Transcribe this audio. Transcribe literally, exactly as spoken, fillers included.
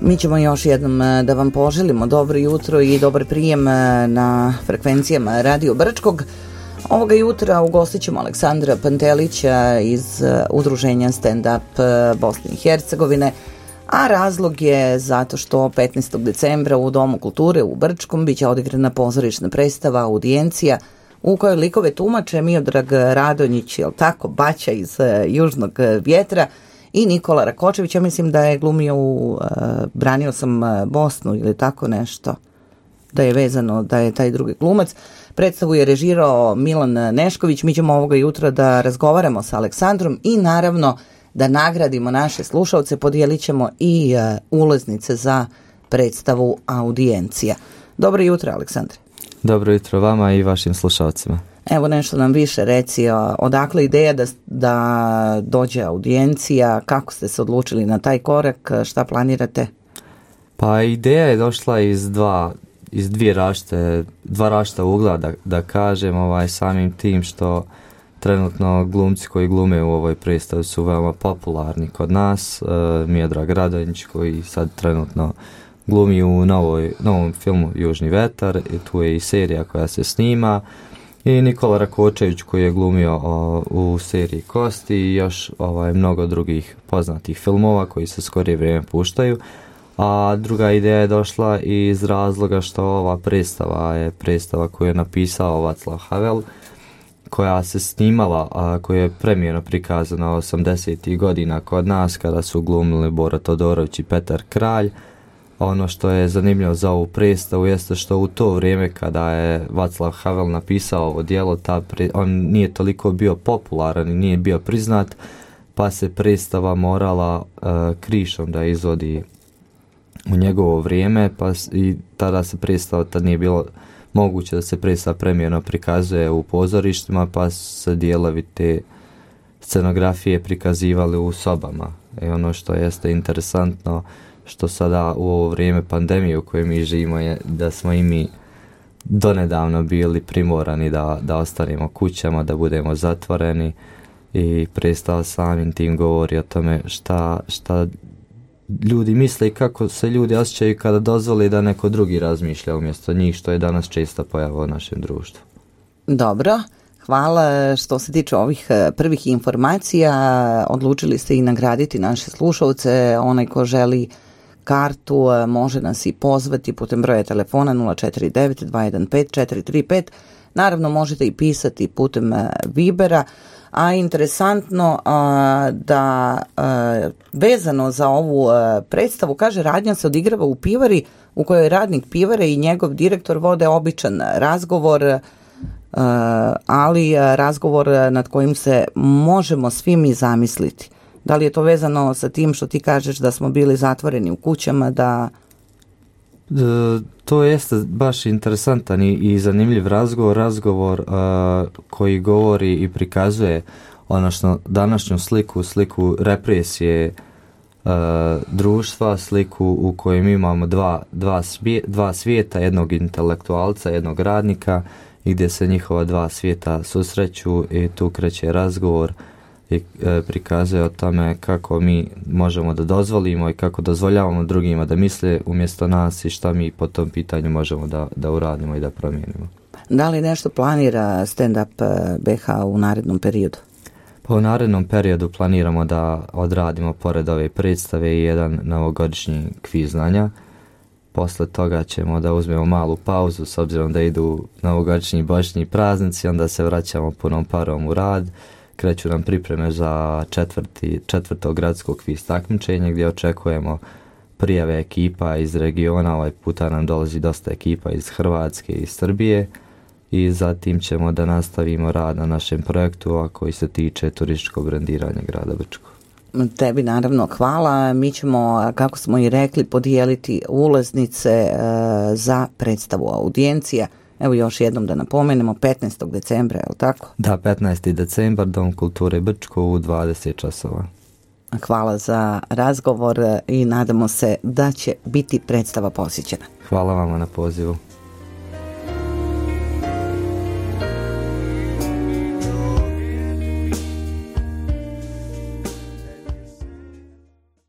Mi ćemo još jednom da vam poželimo dobro jutro i dobar prijem na frekvencijama Radio Brčkog. Ovoga jutra ugostit ćemo Aleksandra Pantelića iz udruženja Stand Up Bosne i Hercegovine, a razlog je zato što petnaestog decembra u Domu kulture u Brčkom biće odigrana pozorišna predstava Audijencija u kojoj likove tumače Miodrag Radonjić, jel tako, Baća iz Južnog vjetra, i Nikola Rakočević. Ja mislim da je glumio u uh, Branio sam Bosnu ili tako nešto, da je vezano da je taj drugi glumac. Predstavu je režirao Milan Nešković. Mi ćemo ovoga jutra da razgovaramo sa Aleksandrom i naravno da nagradimo naše slušalce. Podijelit ćemo i uh, ulaznice za predstavu Audijencija. Dobro jutro, Aleksandre. Dobro jutro vama i vašim slušalcima. Evo nešto nam više reci, odakle ideja da, da dođe Audijencija, kako ste se odlučili na taj korak, šta planirate? Pa ideja je došla iz dva, iz dvije rašte, dva rašta ugla, da, da kažem, ovaj, samim tim što trenutno glumci koji glume u ovoj predstavi su veoma popularni kod nas. E, Miodrag Radonjić koji sad trenutno glumi u novoj, novom filmu Južni vetar, i tu je i serija koja se snima, i Nikola Rakočević koji je glumio o, u seriji Kosti i još ovaj, mnogo drugih poznatih filmova koji se skorije vrijeme puštaju. A druga ideja je došla iz razloga što ova predstava je predstava koju je napisao Vaclav Havel, koja se snimala, a koja je premijerno prikazana osamdesetih godina kod nas kada su glumili Bora Todorović i Petar Kralj. Ono što je zanimljivo za ovu predstavu jeste što u to vrijeme kada je Vaclav Havel napisao ovo djelo, ta pre, on nije toliko bio popularan i nije bio priznat, pa se predstava morala uh, krišom da izvodi u njegovo vrijeme, pa i tada se predstava, tad nije bilo moguće da se predstava premijerno prikazuje u pozorištima, pa se dijelovi te scenografije prikazivali u sobama. I ono što jeste interesantno, što sada u ovo vrijeme pandemije u kojoj mi živimo, je da smo i mi donedavno bili primorani da, da ostanemo kućama, da budemo zatvoreni, i predstava samim tim govori o tome šta, šta ljudi misle i kako se ljudi osjećaju kada dozvoli da neko drugi razmišlja umjesto njih, što je danas česta pojava u našem društvu. Dobro, hvala. Što se tiče ovih prvih informacija, odlučili ste i nagraditi naše slušalce. Onaj ko želi kartu može nas i pozvati putem broja telefona nula četiri devet dva jedan pet četiri tri pet. Naravno možete i pisati putem Vibera. A interesantno a, da a, vezano za ovu a, predstavu, kaže, radnja se odigrava u pivari u kojoj radnik pivare i njegov direktor vode običan razgovor, a, ali a, razgovor nad kojim se možemo svi mi zamisliti. Da li je to vezano sa tim što ti kažeš da smo bili zatvoreni u kućama, da... E, to jeste baš interesantan i, i zanimljiv razgovor, razgovor uh, koji govori i prikazuje odnosno današnju sliku, sliku represije uh, društva, sliku u kojoj imamo dva, dva, svije, dva svijeta, jednog intelektualca, jednog radnika, i gdje se njihova dva svijeta susreću, i tu kreće razgovor i e, prikazuje o tome kako mi možemo da dozvolimo i kako dozvoljavamo drugima da misle umjesto nas i šta mi po tom pitanju možemo da, da uradimo i da promijenimo. Da li nešto planira Stand Up B H u narednom periodu? Pa u narednom periodu planiramo da odradimo pored ove predstave i jedan novogodišnji kviz znanja. Posle toga ćemo da uzmemo malu pauzu s obzirom da idu novogodišnji božićni praznici, onda se vraćamo punom parom u rad. Kreću nam pripreme za četvrti, četvrto gradsko kviz takmičenje gdje očekujemo prijave ekipa iz regiona. Ovaj puta nam dolazi dosta ekipa iz Hrvatske i Srbije, i zatim ćemo da nastavimo rad na našem projektu, a koji se tiče turističkog brendiranja grada Brčkog. Tebi naravno hvala. Mi ćemo, kako smo i rekli, podijeliti ulaznice e, za predstavu Audijencija. Evo još jednom da napomenemo, petnaestog decembra, je li tako? Da, petnaestog decembar, Dom kulture Brčko u dvadeset časova. Hvala za razgovor i nadamo se da će biti predstava posjećena. Hvala vama na pozivu.